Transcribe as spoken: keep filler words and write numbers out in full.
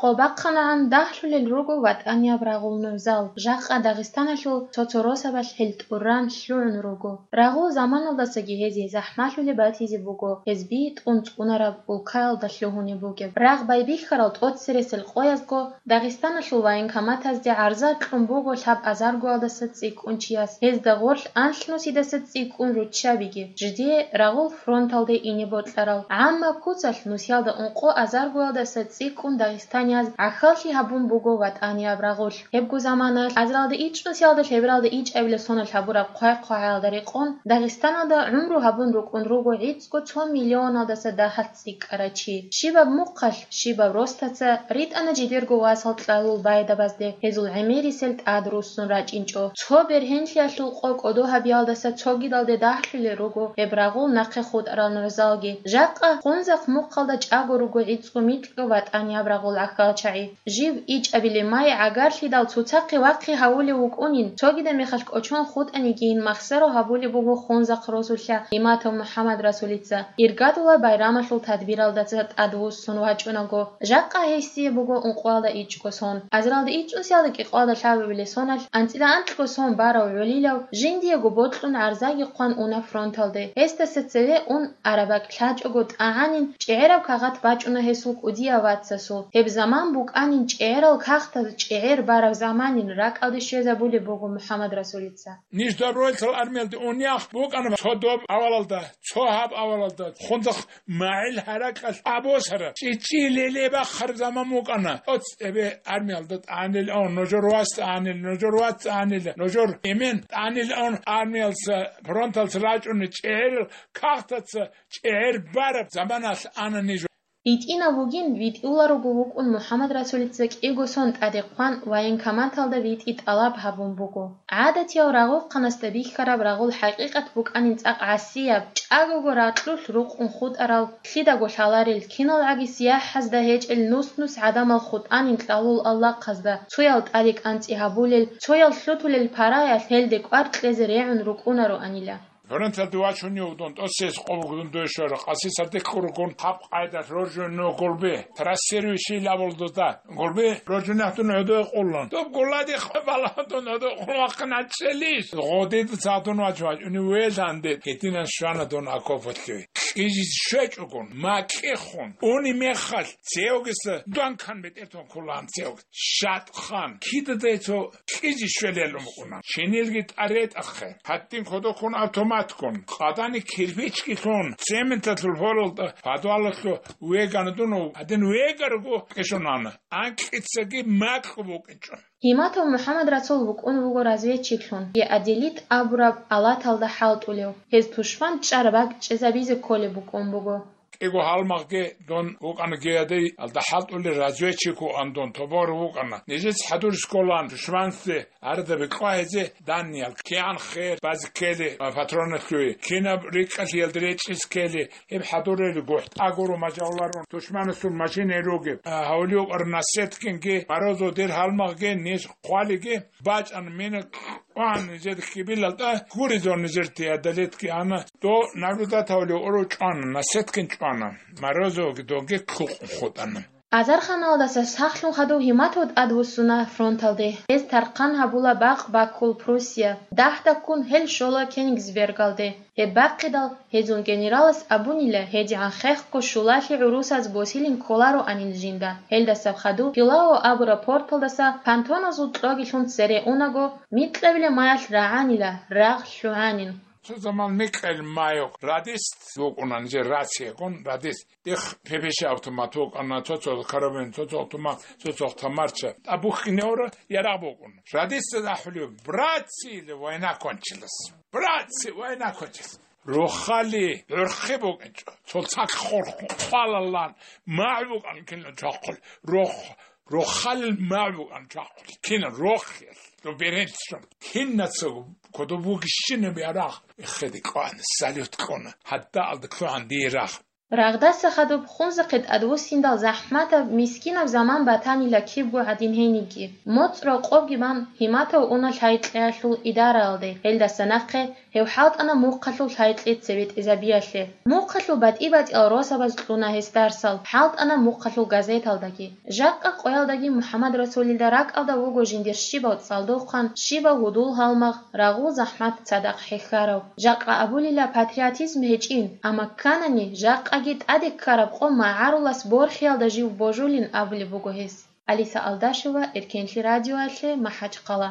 Къо бахъанагӀан дагьлъулел руго ватӀанияб рагъул нугӀзал, жакъа Дагъистаналъул цо-цо росабалъ гьел тӀуран лъугӀун руго. Рагъул заманалдасаги гьезие захӀмалъулеб батизе буго гьез битӀун цӀунараб улкаялда лъугьунеб бугеб. Рагъ байбихьарал тӀоцересел къоязго Дагъистаналъул военкоматазде гӀарза кьун буго лъаб азаргоялдаса цӀикӀкӀун чияс, гьезда гъорлъ анлънусидаса цӀикӀкӀун руччабиги, жидее рагъул фронталде ине бокьарал. ГӀаммаб куцалъ нусиялда ункъо азаргоялдаса цӀикӀкӀун дагъистанияз гӀахьаллъи гьабун буго ватӀанияб рагъулъ. Гьебго заманалъ азаралда ичӀнусиялда лъебералда ичӀабилеб соналъ гьабураб хъвай-хъвагӀаялда рекъон Дагъистаналда гӀумру гьабун рукӀун руго гӀицӀго цо миллионалдаса дагьалъ цӀикӀкӀарай чи. Щибаб мухъалъ, щибаб ростаца ритӀана жидерго васал кьалул байдабазде гьезул гӀемерисел тӀад руссун рачӀинчӀо. Цо бергьенлъиялъул къо кӀодо гьабиялдаса цогидалде дагьлъулел руго гьеб рагъул нахъе хутӀарал нугӀзалги. Жакъа Хунзахъ мухъалда чӀаго руго гӀицӀго микьго ватӀанияб рагъул гӀахьалчагӀи. Жив ичӀабилеб май гӀагарлъидал цоцахъе вахъи гьавулев вукӀунин, цогидаб мехалъ кӀочон хутӀанигийин махсаро гьабулеб буго Хунзахъ росулъа Иматов МухӀаммадрасулица. Иргадулаб байрамалъул тадбиралдаса тӀадвуссун вачӀунаго, жакъа гьесие буго ункъоялда ичӀго сон. Азаралда ичӀнусиялда кӀикъоялда лъабабилеб соналъ анцӀила анкьго сон барав гӀолилав жиндиего бокьун гӀарзаги хъван уна фронталде. Гьесдаса цеве ун араб бакӀ лъачӀого тӀагӀанин чӀегӀераб кагъат бачӀуна гьесул кӀудияв вацасул. Гьеб заман букӀанин чӀегӀерал кагътаз чӀегӀер бараб заманин ракӀалде щвезабулеб буго МухӀаммадрасулица. Ниж добровольцал армиялде унеяхъ букӀана цо доб авалалда, цо гьаб авалалда, Хунзахъ магӀил гьаракьалъ абосараб, чӀичӀи леле бахъараб заман букӀана. ТӀоцебе армиялда тӀагӀанил ун, нужер вас тӀагӀанил, нужер вац тӀагӀанил, нужер эмен тӀагӀанил ун, армиялъа, фронталъа рачӀунел чӀегӀерал кагътаца чӀегӀер бараб заманалъ ана ниж. ГьитӀинав вугин, витӀуларуго вукӀун МухӀаммадрасулица кӀиго сон тӀаде хъван военкоматалда витӀи тӀалаб гьабун буго. ГӀадатияв рагъухъанасда бихьараб рагъул хӀакъикъат букӀанин цӀакъ гӀасияб, чӀагого ракьулъ рукъун хутӀарал, лъидаго лъаларел, киналгӀаги сияхӀазда гьечӀел нус-нус гӀадамал хутӀанин кьалул аллагъазда, цоял тӀаде кӀанцӀи гьабулел, цоял лъутулел параялъ гьелде кӀвар кьезе регӀун рукӀунароанила. Фронталде вачунев дун, тӀоцес къо бугун дойшвара, къаси сардехъ ругун, гьаб къайда роржуно гурби, трассирующий лабулдуда, гурби роржунех дун гӀодой къуллун. Доб гулади хабала дун гӀодой къуллахъин гьачӀелищ? Гъодид цадун вач вач, уни веланде, гьединан щвана дун окопалъуй. Кьижиз щвечӀогун, макьихъун, уни мехалъ, цевгиса дун кан бетӀертун кколан цевг. Шатхан, кидадай цо кьижи щвелел умукъуна. Шинилги тӀаретӀахъе. Гьадин кодоккун автоматкун, къадани кирпичги лъун, цементалъул форалда подвалалъу вегана дун, гьадин вегарго кӀишунана. Анкьицаги макьу букӀинчӀо. Иматов МухӀаммадрасул вукӀун вуго разведчиклъун, Еаделит абураб алаталда хӀалтӀулев, гьез тушман чӀараб бакӀ чӀезабизе кколеб букӀун буго. КӀиго гьалмагъги дун вукӀана Геаделиалда хӀалтӀулел разведчик вугӀан дун, тобор вукӀана. Нижец хӀадур сколан душманцде арада бекьва гьезе даниял, кигӀан хер базе ккели, а, патроналъуе, кинаб рикӀкӀалъиялда речӀчӀиз ккели, гьеб хӀадурел гухӀ тӀагуру мажавларун, душманасул машинаги ругеб, а, гьавлиюкъ арнасеткинги, барозо дир гьалмагъги, ниж хъвалиги, бачӀана мина кьван нижер кибилалда, гуризул нижер теодолетги ана, до наблюдать гьавлев уру чӀвана, насеткин чӀвана, Морозовги донги кьукъун хутӀана. Азарханалдаса сахлъун хадув Гьиматов тӀадвуссуна фронталде. Гьез тархъан гьабула бакъ Бакул Пруссия, дагь-дагьккун гьел щола Кёнигсбергалде. Гьеб бахъидал, гьезул генералас абунила, гьедигӀан хехго щулалъи гӀурусаз босилин кколароанин жинда. Гьелдасаб хадув Пилау абураб порталдаса понтоназул кьогилъун цере унаго, микьабилеб маялъ рагӀанила, рагъ лъугӀанин. Цо заман микьабилеб майухъ радист вукӀуна, нижер рациягун радист. Дихъ пепеси автомат вукӀана, цо-цо карабин, цо-цо автомат, цо-цо тамарча. ТӀабухьине гьора ярагъ букӀун. Радистаз ахӀулев, братцы, или война кончилась. Братцы, война кончилась. Рохали гӀурхъи букӀинчӀо. Цо цакъ хурхун хъвалалан, магӀу букӀан кинан чвахъул. Рох-, рохалил магӀу букӀан чвахъул. Кинан рохел. До беренчӀун. Кинаца кодоб бугищинаб ярагъ. Эхеде кьван, салют кьуна. Гьадда алда кьугӀан дие рагъ. Рагъдаса хадуб хунзахъе тӀадвуссиндал захӀматаб, мискинаб заман батанила кибго гӀадин гьенибги. МоцӀ-рокъобги бан, гьиматав уна лъай-кьеялъул идараялде, гьелдаса нахъе гьев хӀалтӀана мухъалъул лъай-кье цебетӀезабиялъе. Мухъалъул батӀи-батӀиял росабаз кьуна гьес дарсал, хӀалтӀана мухъалъул газеталдаги. Жакъа къоялдаги МухӀаммад Расулилда ракӀалда вуго жиндир щибав цӀалдохъан, щибав гьудул-гьалмагъ, рагъул-захӀмат цадахъ хӀехьарав. Жакъа абулила патриотизм гьечӀин, амма кканани, жакъаги тӀаде ккараб къо магӀарулас борхиялда жив божулин абулеб буго гьес. Алиса Алдашева, Эркенлъи радиоялъе, МахӀачхъала.